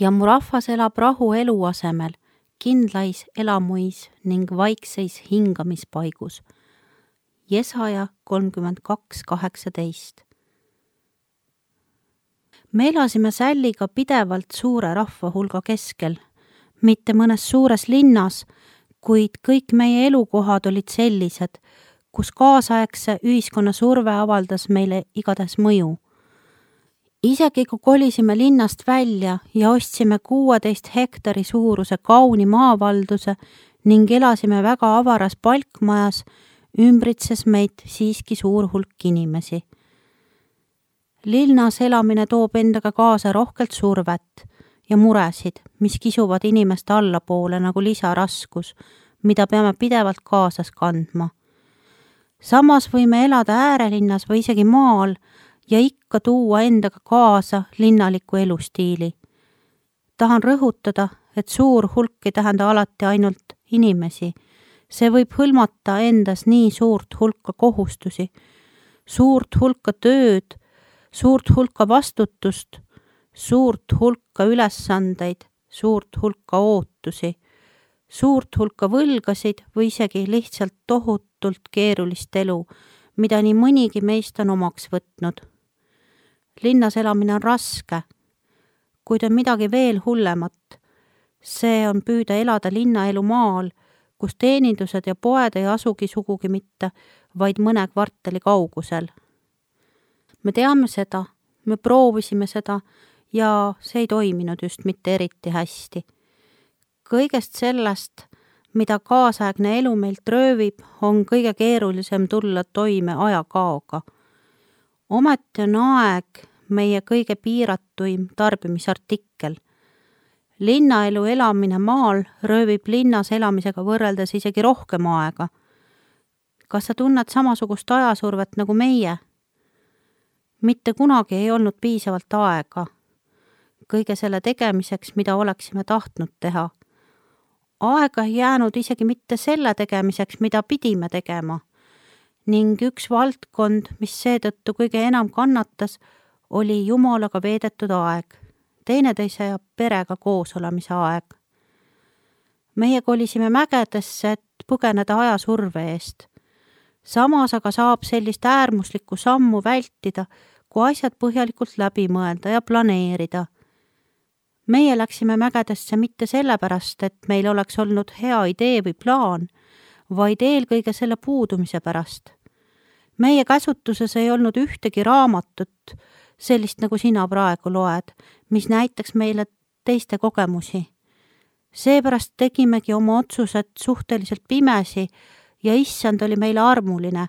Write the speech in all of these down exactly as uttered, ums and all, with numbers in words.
ja mu rahvas elab rahu elu asemel, kindlais elamuis ning vaikseis hingamispaigus. Jesaja kolmkümmend kaks kaheksateist. Me elasime Sälliga pidevalt suure rahva hulga keskel, mitte mõnes suures linnas, kuid kõik meie elukohad olid sellised, kus kaasaegse ühiskonna surve avaldas meile igatahes mõju. Isegi kui kolisime linnast välja ja ostsime kuueteist hektari suuruse kauni maavalduse ning elasime väga avaras palkmajas, ümbritses meid siiski suur hulk inimesi. Linnas elamine toob endaga kaasa rohkelt survet ja muresid, mis kisuvad inimest allapoole nagu lisaraskus, mida peame pidevalt kaasas kandma. Samas võime elada äärelinnas või isegi maal ja ikka tuua endaga kaasa linnaliku elustiili. Tahan rõhutada, et suur hulk ei tähenda alati ainult inimesi. See võib hõlmata endas nii suurt hulka kohustusi, suurt hulka tööd, suurt hulka vastutust, suurt hulka ülesandeid, suurt hulka ootusi, suurt hulka võlgasid või isegi lihtsalt tohutult keerulist elu, mida nii mõnigi meist on omaks võtnud. Linnas elamine on raske, kuid on midagi veel hullemat. See on püüda elada linnaelu maal, kus teenindused ja poed ei asugi sugugi mitte, vaid mõne kvartali kaugusel. Me teame seda, me proovisime seda ja see ei toiminud just mitte eriti hästi. Kõigest sellest, mida kaasaegne elu meilt röövib, on kõige keerulisem tulla toime ajakaoga. Ometi on aeg meie kõige piiratuim tarbimisartikkel. Linnaelu elamine maal röövib linnas elamisega võrreldes isegi rohkem aega. Kas sa tunned samasugust ajasurvet nagu meie? Mitte kunagi ei olnud piisavalt aega kõige selle tegemiseks, mida oleksime tahtnud teha. Aega ei jäänud isegi mitte selle tegemiseks, mida pidime tegema. Ning üks valdkond, mis seetõttu kõige enam kannatas, oli Jumalaga veedetud aeg, teineteise ja perega koos olemise aeg. Meie kolisime mägedesse, et põgeneda ajasurve eest. Samas aga saab sellist äärmuslikku sammu vältida, kui asjad põhjalikult läbi mõelda ja planeerida. Meie läksime mägedesse mitte sellepärast, et meil oleks olnud hea idee või plaan, vaid eelkõige selle puudumise pärast. Meie käsutuses ei olnud ühtegi raamatut, sellist nagu sina praegu loed, mis näitaks meile teiste kogemusi. Seepärast tegimegi oma otsused suhteliselt pimesi ja issand oli meile armuline,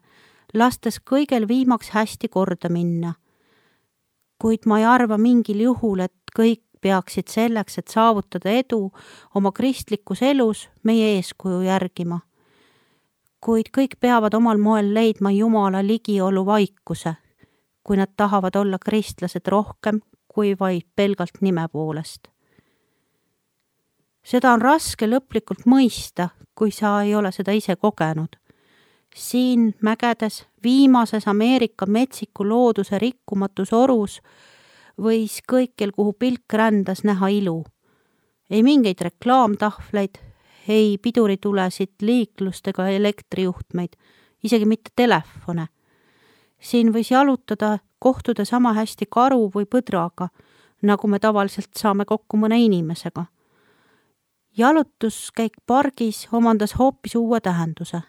lastes kõigel viimaks hästi korda minna. Kuid ma ei arva mingil juhul, et kõik peaksid selleks, et saavutada edu oma kristlikus elus meie eeskuju järgima. Kuid kõik peavad omal moel leidma Jumala ligiolu vaikuse, kui nad tahavad olla kristlased rohkem kui vaid pelgalt nime poolest. Seda on raske lõplikult mõista, kui sa ei ole seda ise kogenud. Siin mägedes, viimases Ameerika metsiku looduse rikkumatus orus võis kõikjal, kuhu pilk rändas, näha ilu. Ei mingeid reklaamtahvleid, ei piduritulesid, liiklust ega elektrijuhtmeid, isegi mitte telefone. Siin võis jalutada, kohtuda sama hästi karu või põdraga, nagu me tavaliselt saame kokku mõne inimesega. Jalutuskäik pargis omandas hoopis uue tähenduse.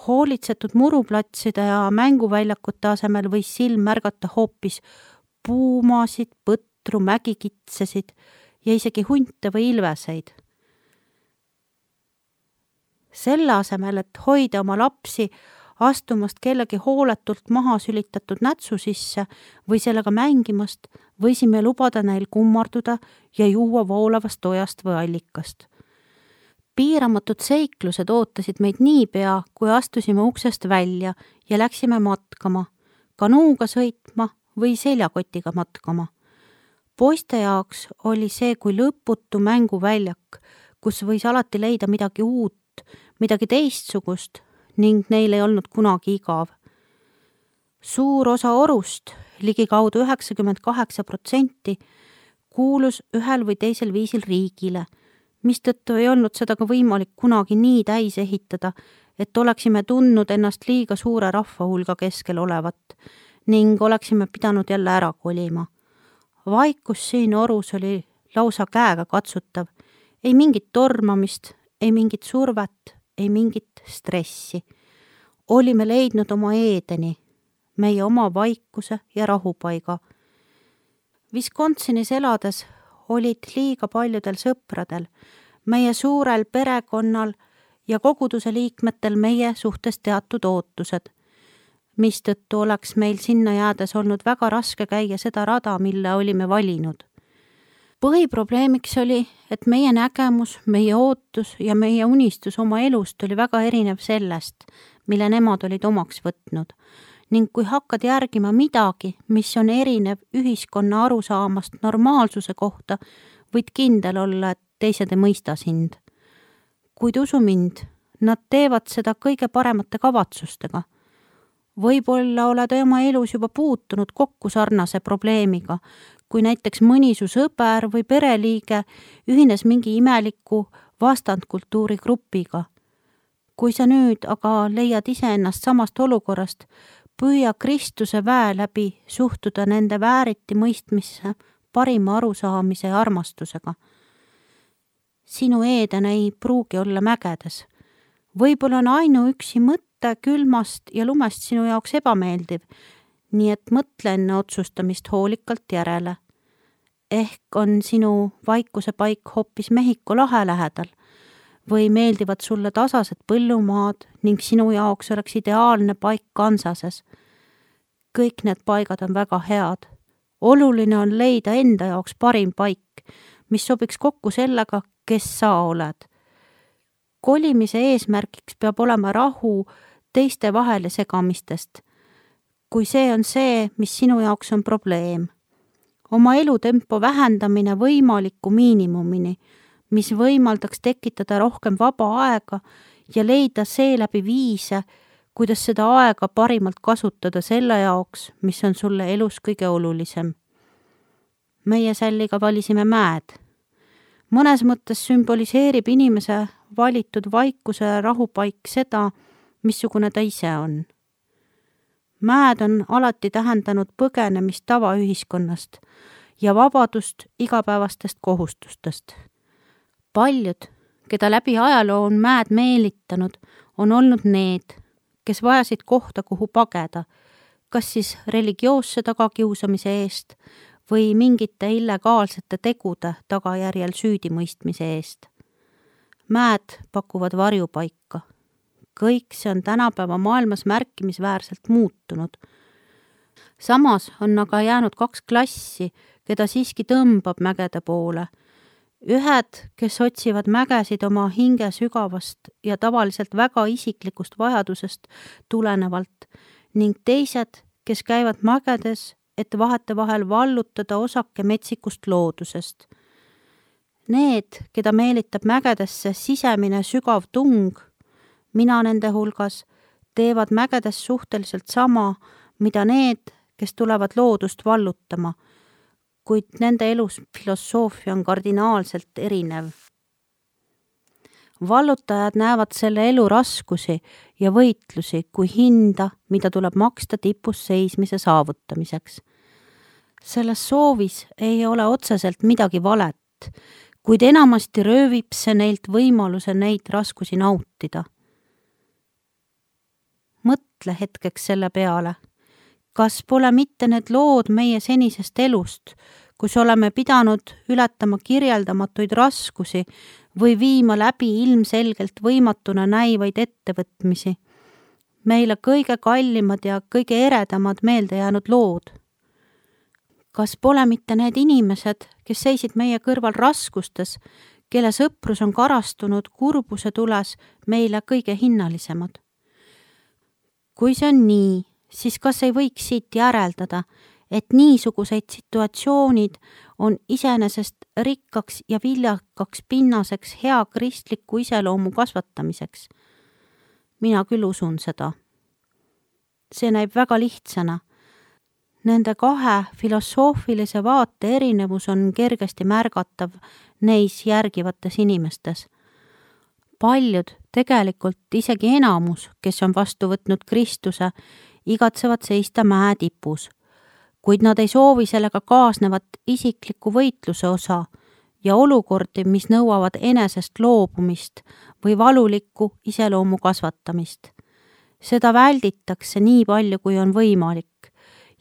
Hoolitsetud muruplatside ja mänguväljakute asemel võis silm märgata hoopis puumasid, põtru, mägikitsesid ja isegi hunte või ilveseid. Selle asemel, et hoida oma lapsi astumast kellegi hooletult maha sülitatud nätsu sisse või sellega mängimast, võisime lubada neil kummarduda ja juua voolavast ojast või allikast. Piiramatud seiklused ootasid meid niipea, kui astusime uksest välja ja läksime matkama, kanuuga sõitma või seljakotiga matkama. Poiste jaoks oli see kui lõputu mänguväljak, kus võis alati leida midagi uut, midagi teistsugust ning neil ei olnud kunagi igav. Suur osa orust, ligikaudu üheksakümmend kaheksa protsenti, kuulus ühel või teisel viisil riigile, mistõttu ei olnud seda ka võimalik kunagi nii täis ehitada, et oleksime tundnud ennast liiga suure rahvahulga keskel olevat ning oleksime pidanud jälle ära kolima. Vaikus siin orus oli lausa käega katsutav, ei mingit tormamist, ei mingit survet, ei mingit stressi. Olime leidnud oma Eedeni, meie oma vaikuse ja rahupaiga. Wisconsinis elades olid liiga paljudel sõpradel, meie suurel perekonnal ja koguduse liikmetel meie suhtes teatud ootused, mistõttu oleks meil sinna jäädes olnud väga raske käia seda rada, mille olime valinud. Põhiprobleemiks oli, et meie nägemus, meie ootus ja meie unistus oma elust oli väga erinev sellest, mille nemad olid omaks võtnud. Ning kui hakkad järgima midagi, mis on erinev ühiskonna arusaamast normaalsuse kohta, võid kindel olla, et teised ei mõista sind. Kuid usu mind, nad teevad seda kõige paremate kavatsustega. Võib-olla oled oma elus juba puutunud kokku sarnase probleemiga, kui näiteks mõni su sõber või pereliige ühines mingi imeliku vastandkultuuri grupiga. Kui sa nüüd aga leiad iseennast samast olukorrast, püüa Kristuse väe läbi suhtuda nende vääriti mõistmisse parima arusaamise ja armastusega. Sinu Eeden ei pruugi olla mägedes. Võib-olla on ainuüksi mõtte külmast ja lumest sinu jaoks ebameeldiv, nii et mõtle enne otsustamist hoolikalt järele. Ehk on sinu vaikuse paik hoopis Mehhiko lahe lähedal või meeldivad sulle tasased põllumaad ning sinu jaoks oleks ideaalne paik Kansases. Kõik need paigad on väga head. Oluline on leida enda jaoks parim paik, mis sobiks kokku sellega, kes sa oled. Kolimise eesmärgiks peab olema rahu teiste vahele segamistest, kui see on see, mis sinu jaoks on probleem. Oma elutempo vähendamine võimaliku miinimumini, mis võimaldaks tekitada rohkem vaba aega ja leida seeläbi viise, kuidas seda aega parimalt kasutada selle jaoks, mis on sulle elus kõige olulisem. Meie Sälliga valisime mäed. Mõnes mõttes sümboliseerib inimese valitud vaikuse ja rahupaik seda, missugune ta ise on. Mäed on alati tähendanud põgenemist tavaühiskonnast ja vabadust igapäevastest kohustustest. Paljud, keda läbi ajaloo on mäed meelitanud, on olnud need, kes vajasid kohta, kuhu pageda, kas siis religioosse tagakiusamise eest või mingite illegaalsete tegude tagajärjel süüdimõistmise eest. Mäed pakuvad varjupaika. Kõik see on tänapäeva maailmas märkimisväärselt muutunud. Samas on aga jäänud kaks klassi, keda siiski tõmbab mägede poole. Ühed, kes otsivad mägesid oma hinge sügavast ja tavaliselt väga isiklikust vajadusest tulenevalt ning teised, kes käivad mägedes, et vahetevahel vallutada osake metsikust loodusest. Need, keda meelitab mägedesse sisemine sügav tung, mina nende hulgas, teevad mägedes suhteliselt sama, mida need, kes tulevad loodust vallutama, kuid nende elus filosoofia on kardinaalselt erinev. Vallutajad näevad selle elu raskusi ja võitlusi kui hinda, mida tuleb maksta tipus seismise saavutamiseks. Selles soovis ei ole otseselt midagi valet, kuid enamasti röövib see neilt võimaluse neid raskusi nautida. Mõtle hetkeks selle peale. Kas pole mitte need lood meie senisest elust, kus oleme pidanud ületama kirjeldamatuid raskusi või viima läbi ilmselgelt võimatuna näivaid ettevõtmisi? Meile kõige kallimad ja kõige eredamad meelde jäänud lood. Kas pole mitte need inimesed, kes seisid meie kõrval raskustes, kelle sõprus on karastunud kurbuse tules meile kõige hinnalisemad? Kui see on nii, siis kas ei võiks siit järeldada, et niisuguseid situatsioonid on iseenesest rikkaks ja viljakaks pinnaseks hea kristliku iseloomu kasvatamiseks? Mina küll usun seda. See näib väga lihtsana. Nende kahe filosoofilise vaate erinevus on kergesti märgatav neis järgivates inimestes. Paljud, tegelikult isegi enamus, kes on vastu võtnud Kristuse, igatsevad seista mäe tipus, kuid nad ei soovi sellega kaasnevat isikliku võitluse osa ja olukordi, mis nõuavad enesest loobumist või valulikku iseloomu kasvatamist. Seda välditakse nii palju, kui on võimalik,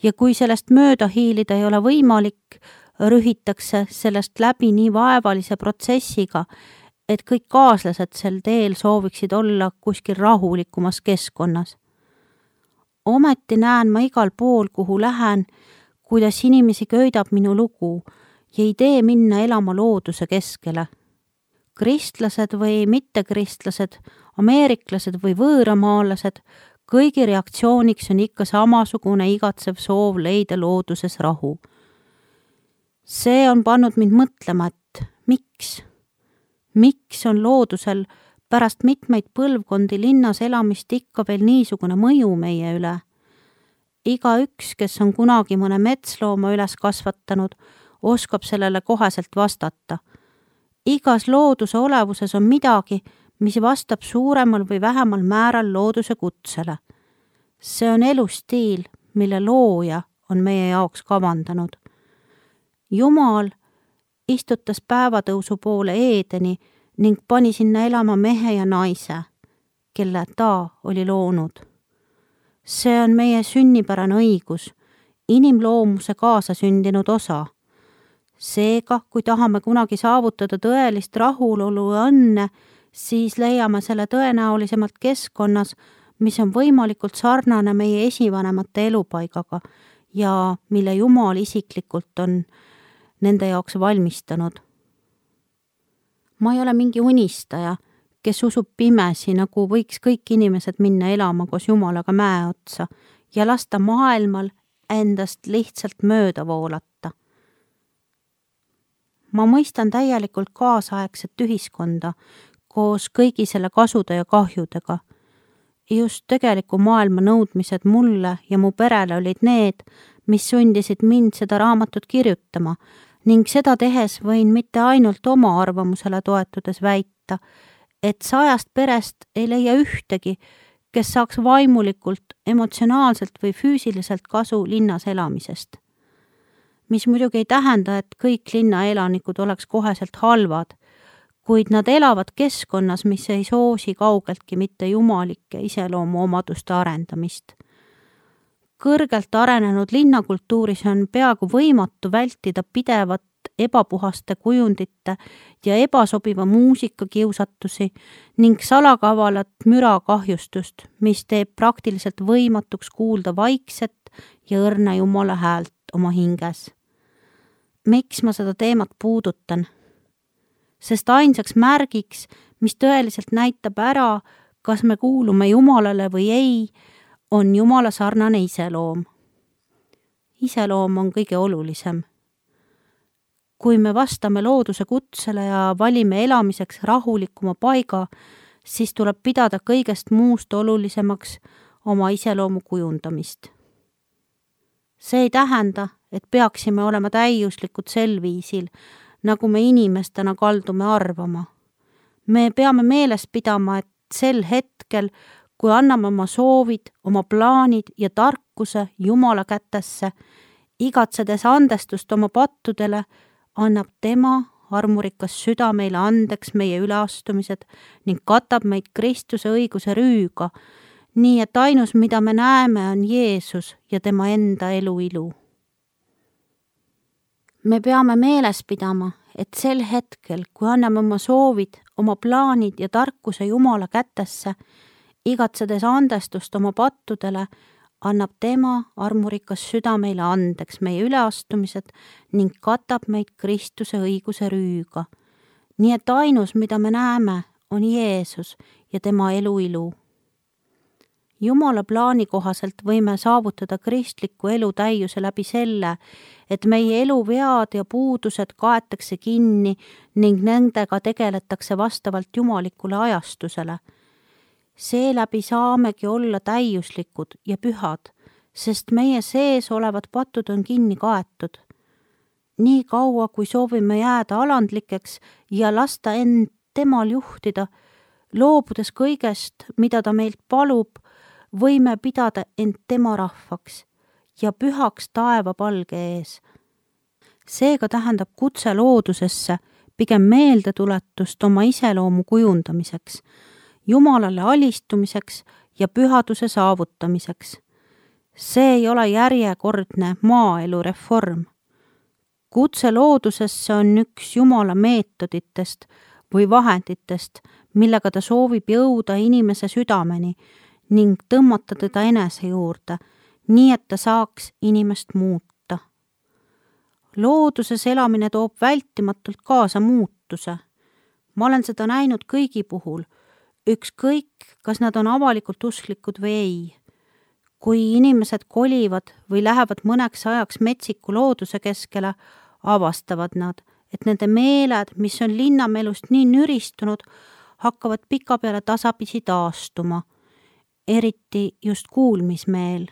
ja kui sellest mööda hiilida ei ole võimalik, rühitakse sellest läbi nii vaevalise protsessiga, et kõik kaaslased sel teel sooviksid olla kuskil rahulikumas keskkonnas. Ometi näen ma igal pool, kuhu lähen, kuidas inimesi köidab minu lugu ja ei tee minna elama looduse keskele. Kristlased või mittekristlased, ameeriklased või võõramaalased, kõigi reaktsiooniks on ikka samasugune igatsev soov leida looduses rahu. See on pannud mind mõtlema, et miks? Miks on loodusel pärast mitmeid põlvkondi linnas elamist ikka veel niisugune mõju meie üle? Iga üks, kes on kunagi mõne metslooma üles kasvatanud, oskab sellele koheselt vastata. Igas looduse olevuses on midagi, mis vastab suuremal või vähemal määral looduse kutsele. See on elustiil, mille looja on meie jaoks kavandanud. Jumal istutas päevatõusu poole Eedeni ning pani sinna elama mehe ja naise, kelle ta oli loonud. See on meie sünnipärane õigus, inimloomuse kaasasündinud osa. Seega, kui tahame kunagi saavutada tõelist rahulolu ja õnne, siis leiame selle tõenäolisemalt keskkonnas, mis on võimalikult sarnane meie esivanemate elupaigaga ja mille Jumal isiklikult on nende jaoks valmistanud. Ma ei ole mingi unistaja, kes usub pimesi, nagu võiks kõik inimesed minna elama koos Jumalaga mäe otsa ja lasta maailmal endast lihtsalt mööda voolata. Ma mõistan täielikult kaasaegset ühiskonda koos kõigi selle kasude ja kahjudega. Just tegeliku maailma nõudmised mulle ja mu perele olid need, mis sundisid mind seda raamatut kirjutama, ning seda tehes võin mitte ainult oma arvamusele toetudes väita, et sajast perest ei leia ühtegi, kes saaks vaimulikult, emotsionaalselt või füüsiliselt kasu linnas elamisest. Mis muidugi ei tähenda, et kõik linnaelanikud oleks koheselt halvad, kuid nad elavad keskkonnas, mis ei soosi kaugeltki mitte jumalike iseloomu omaduste arendamist. Kõrgelt arenenud linnakultuuris on peaaegu võimatu vältida pidevat ebapuhaste kujundite ja ebasobiva muusika kiusatusi ning salakavalat mürakahjustust, mis teeb praktiliselt võimatuks kuulda vaikset ja õrna Jumala häält oma hinges. Miks ma seda teemat puudutan? Sest ainsaks märgiks, mis tõeliselt näitab ära, kas me kuulume Jumalale või ei, on Jumala sarnane iseloom. Iseloom on kõige olulisem. Kui me vastame looduse kutsele ja valime elamiseks rahulikuma paiga, siis tuleb pidada kõigest muust olulisemaks oma iseloomu kujundamist. See ei tähenda, et peaksime olema täiuslikud sel viisil, nagu me inimestena kaldume arvama. Me peame meeles pidama, et sel hetkel, kui anname oma soovid, oma plaanid ja tarkuse Jumala kätesse, igatsedes andestust oma pattudele, annab tema armurikas süda meile andeks meie üleastumised ning katab meid Kristuse õiguse rüüga, nii et ainus, mida me näeme, on Jeesus ja tema enda elu ilu. Me peame meeles pidama, et sel hetkel, kui anname oma soovid, oma plaanid ja tarkuse Jumala kätesse, igatsedes andestust oma pattudele, annab tema armurikas süda meile andeks meie üleastumised ning katab meid Kristuse õiguse rüüga. Nii et ainus, mida me näeme, on Jeesus ja tema elu ilu. Jumala plaani kohaselt võime saavutada kristliku elu täiuse läbi selle, et meie elu vead ja puudused kaetakse kinni ning nendega tegeletakse vastavalt jumalikule ajastusele. Seeläbi saamegi olla täiuslikud ja pühad, sest meie sees olevad patud on kinni kaetud. Nii kaua, kui soovime jääda alandlikeks ja lasta end temal juhtida, loobudes kõigest, mida ta meilt palub, võime pidada end tema rahvaks ja pühaks taeva palge ees. Seega tähendab kutse loodusesse pigem meeldetuletust oma iseloomu kujundamiseks, Jumalale alistumiseks ja pühaduse saavutamiseks. See ei ole järjekordne maaelu reform. Kutse loodusesse on üks Jumala meetoditest või vahenditest, millega ta soovib jõuda inimese südameni ning tõmmata teda enese juurde, nii et ta saaks inimest muuta. Looduses elamine toob vältimatult kaasa muutuse. Ma olen seda näinud kõigi puhul, ükskõik, kas nad on avalikult usklikud või ei. Kui inimesed kolivad või lähevad mõneks ajaks metsiku looduse keskele, avastavad nad, et nende meeled, mis on linnamelust nii nüristunud, hakkavad pikapeale tasapisi taastuma, eriti just kuulmismeel.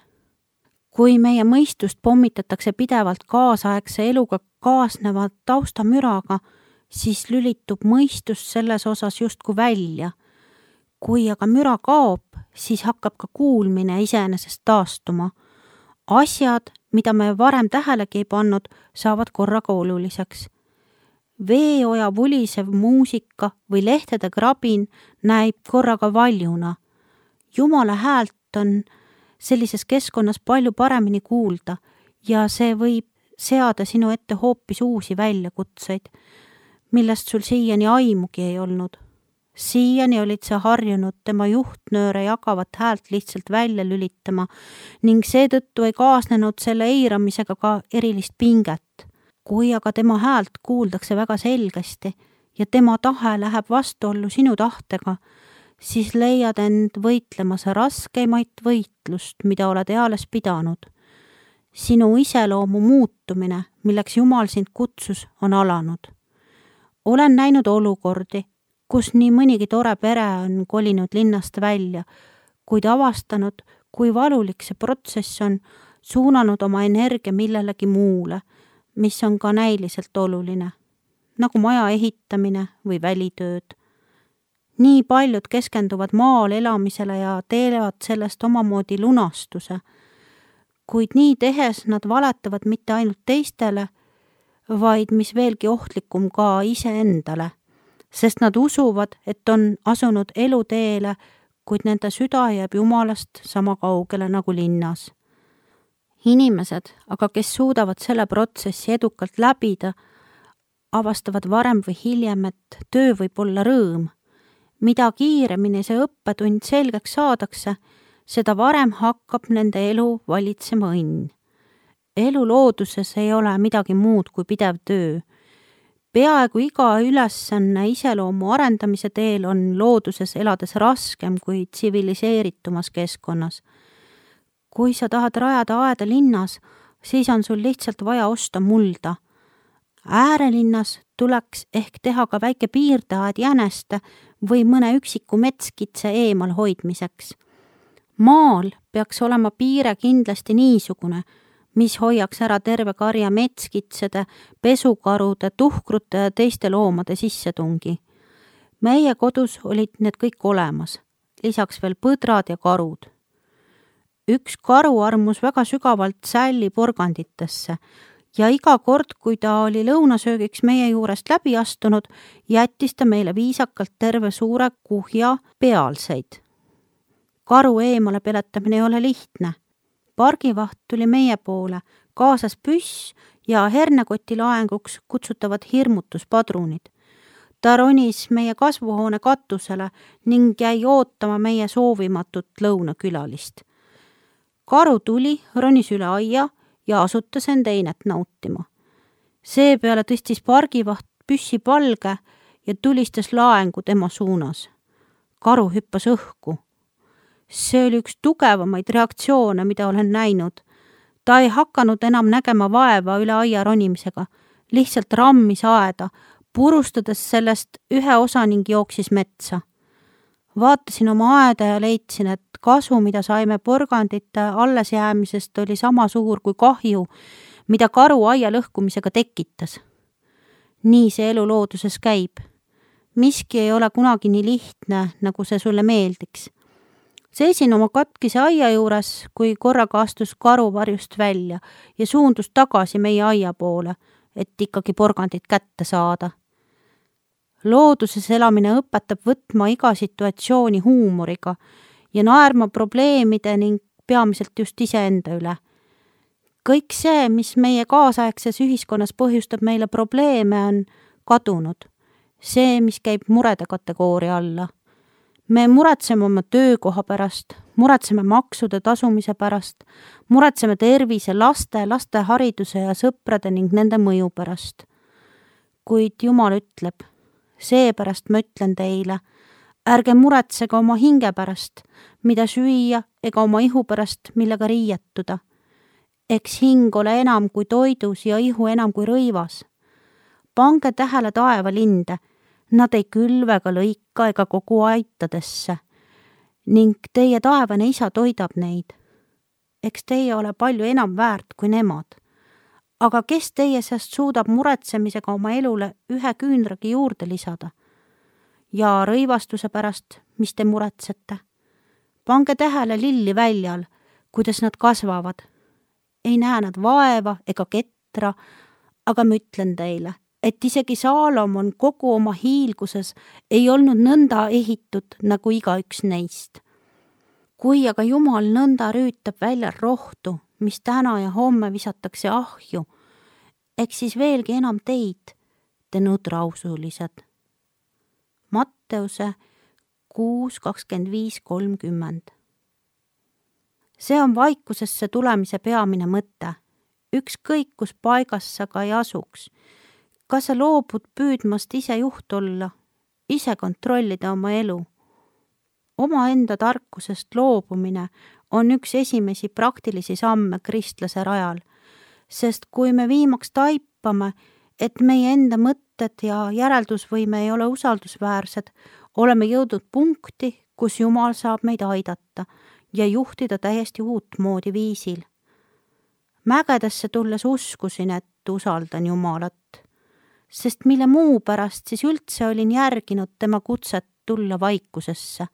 Kui meie mõistust pommitatakse pidevalt kaasaegse eluga kaasneva taustamüraga, siis lülitub mõistus selles osas justkui välja. Kui aga müra kaob, siis hakkab ka kuulmine iseenesest taastuma. Asjad, mida me varem tähelegi ei pannud, saavad korraga oluliseks. Veeoja vulisev muusika või lehtede krabin näib korraga valjuna. Jumala häält on sellises keskkonnas palju paremini kuulda ja see võib seada sinu ette hoopis uusi väljakutseid, millest sul siiani aimugi ei olnud. Siiani olid sa harjunud tema juhtnööre jagavat häält lihtsalt välja lülitama ning seetõttu ei kaasnenud selle eiramisega ka erilist pinget. Kui aga tema häält kuuldakse väga selgesti ja tema tahe läheb vastuollu sinu tahtega, siis leiad end võitlemas raskeimaid võitlust, mida oled eales pidanud. Sinu iseloomu muutumine, milleks Jumal sind kutsus, on alanud. Olen näinud olukordi, kus nii mõnigi tore pere on kolinud linnast välja, kuid avastanud, kui valulik see protsess on, suunanud oma energia millelegi muule, mis on ka näiliselt oluline, nagu maja ehitamine või välitööd. Nii paljud keskenduvad maal elamisele ja teelevad sellest omamoodi lunastuse, kuid nii tehes nad valetavad mitte ainult teistele, vaid mis veelgi ohtlikum ka iseendale, sest nad usuvad, et on asunud eluteele, kuid nende süda jääb Jumalast sama kaugele nagu linnas. Inimesed, aga kes suudavad selle protsessi edukalt läbida, avastavad varem või hiljem, et töö võib olla rõõm. Mida kiiremini see õppetund selgeks saadakse, seda varem hakkab nende elu valitsema õnn. Elu looduses ei ole midagi muud kui pidev töö. Peaaegu iga ülesanne iseloomu arendamise teel on looduses elades raskem kui tsiviliseeritumas keskkonnas. Kui sa tahad rajada aeda linnas, siis on sul lihtsalt vaja osta mulda. Äärelinnas tuleks ehk teha ka väike piirdeaed jäneste või mõne üksiku metskitse eemal hoidmiseks. Maal peaks olema piire kindlasti niisugune, mis hoiaks ära terve karja metskitsede, pesukarude, tuhkrute ja teiste loomade sissetungi. Meie kodus olid need kõik olemas, lisaks veel põdrad ja karud. Üks karu armus väga sügavalt sälli porganditesse ja iga kord, kui ta oli lõunasöögiks meie juurest läbi astunud, jättis ta meile viisakalt terve suure kuhja pealseid. Karu eemale peletamine ei ole lihtne. Pargivaht tuli meie poole, kaasas püss ja hernekoti laenguks kutsutavad hirmutuspadrunid. Ta ronis meie kasvuhoone katusele ning jäi ootama meie soovimatut lõunakülalist. Karu tuli, ronis üle aia ja asutas end einet nautima. Seepeale tõstis pargivaht püssi palge ja tulistas laengu tema suunas. Karu hüppas õhku. See oli üks tugevamaid reaktsioone, mida olen näinud. Ta ei hakanud enam nägema vaeva üle aia ronimisega, lihtsalt rammis aeda, purustades sellest ühe osa ning jooksis metsa. Vaatasin oma aeda ja leidsin, et kasu, mida saime porgandite allesjäämisest, oli sama suur kui kahju, mida karu aia lõhkumisega tekitas. Nii see elu looduses käib. Miski ei ole kunagi nii lihtne, nagu see sulle meeldiks. Seisin oma katkise aia juures, kui korraga astus karu varjust välja ja suundus tagasi meie aia poole, et ikkagi porgandit kätte saada. Looduses elamine õpetab võtma iga situatsiooni huumoriga ja naerma probleemide ning peamiselt just iseenda üle. Kõik see, mis meie kaasaegses ühiskonnas põhjustab meile probleeme, on kadunud. See, mis käib murede kategooria alla. Me muretseme oma töökoha pärast, muretseme maksude tasumise pärast, muretseme tervise, laste, laste hariduse ja sõprade ning nende mõju pärast. Kuid Jumal ütleb, seepärast ma ütlen teile, ärge muretsege oma hinge pärast, mida süüa, ega oma ihu pärast, millega riietuda. Eks hing ole enam kui toidus ja ihu enam kui rõivas. Pange tähele taevalinde, nad ei külve ega lõika ega kogu aitadesse, ning teie taevane isa toidab neid. Eks teie ole palju enam väärt kui nemad. Aga kes teie seast suudab muretsemisega oma elule ühe küünragi juurde lisada? Ja rõivastuse pärast, mis te muretsete? Pange tähele lilli väljal, kuidas nad kasvavad. Ei näe nad vaeva ega ketra, aga ma ütlen teile, et isegi Saalomon kogu oma hiilguses ei olnud nõnda ehitud nagu igaüks neist. Kui aga Jumal nõnda rüütab välja rohtu, mis täna ja homme visatakse ahju, eks siis veelgi enam teid, te nõdrausulised. Matteuse kuus kakskümmend viis kolmkümmend. See on vaikusesse tulemise peamine mõte. Ükskõik, kus paigas sa ka ei asuks. Kas sa loobud püüdmast ise juht olla, ise kontrollida oma elu? Oma enda tarkusest loobumine on üks esimesi praktilisi samme kristlase rajal, sest kui me viimaks taipame, et meie enda mõtted ja järeldusvõime ei ole usaldusväärsed, oleme jõudnud punkti, kus Jumal saab meid aidata ja juhtida täiesti uut moodi viisil. Mägedesse tulles uskusin, et usaldan Jumalat, sest mille muu pärast siis üldse olin järginud tema kutset tulla vaikusesse.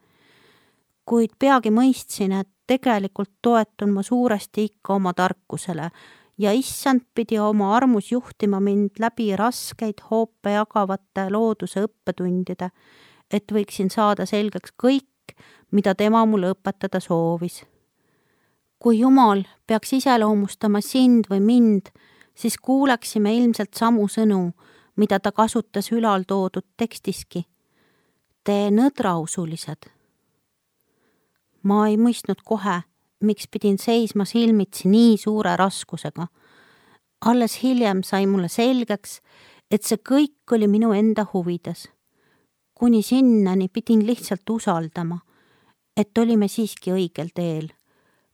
Kuid peagi mõistsin, et tegelikult toetun ma suuresti ikka oma tarkusele ja issand pidi oma armus juhtima mind läbi raskeid hoope jagavate looduse õppetundide, et võiksin saada selgeks kõik, mida tema mulle õpetada soovis. Kui Jumal peaks iseloomustama sind või mind, siis kuuleksime ilmselt samu sõnu, mida ta kasutas ülal toodud tekstiski. Te nõdrausulised. Ma ei mõistnud kohe, miks pidin seisma silmitsi nii suure raskusega. Alles hiljem sai mulle selgeks, et see kõik oli minu enda huvides. Kuni sinnani pidin lihtsalt usaldama, et olime siiski õigel teel,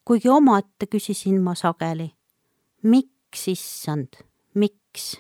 kuigi omaette küsisin ma sageli. Miks, issand, miks?